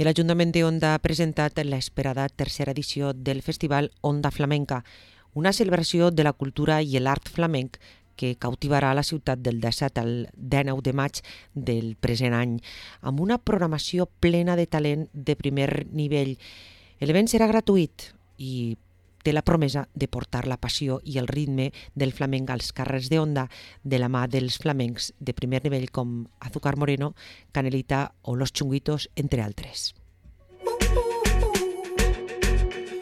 I l'Ajuntament de Onda ha presentat l'esperada tercera edició del Festival Onda Flamenca, una celebració de la cultura i l'art flamenc que cautivarà la ciutat del 17 al 19 de maig del present any, amb una programació plena de talent de primer nivell. L'event serà gratuït i té la promesa de portar la passió i el ritme del flamenc als carrers d'Onda de la mà dels flamencs de primer nivell com Azúcar Moreno, Canelita o Los Chunguitos, entre altres.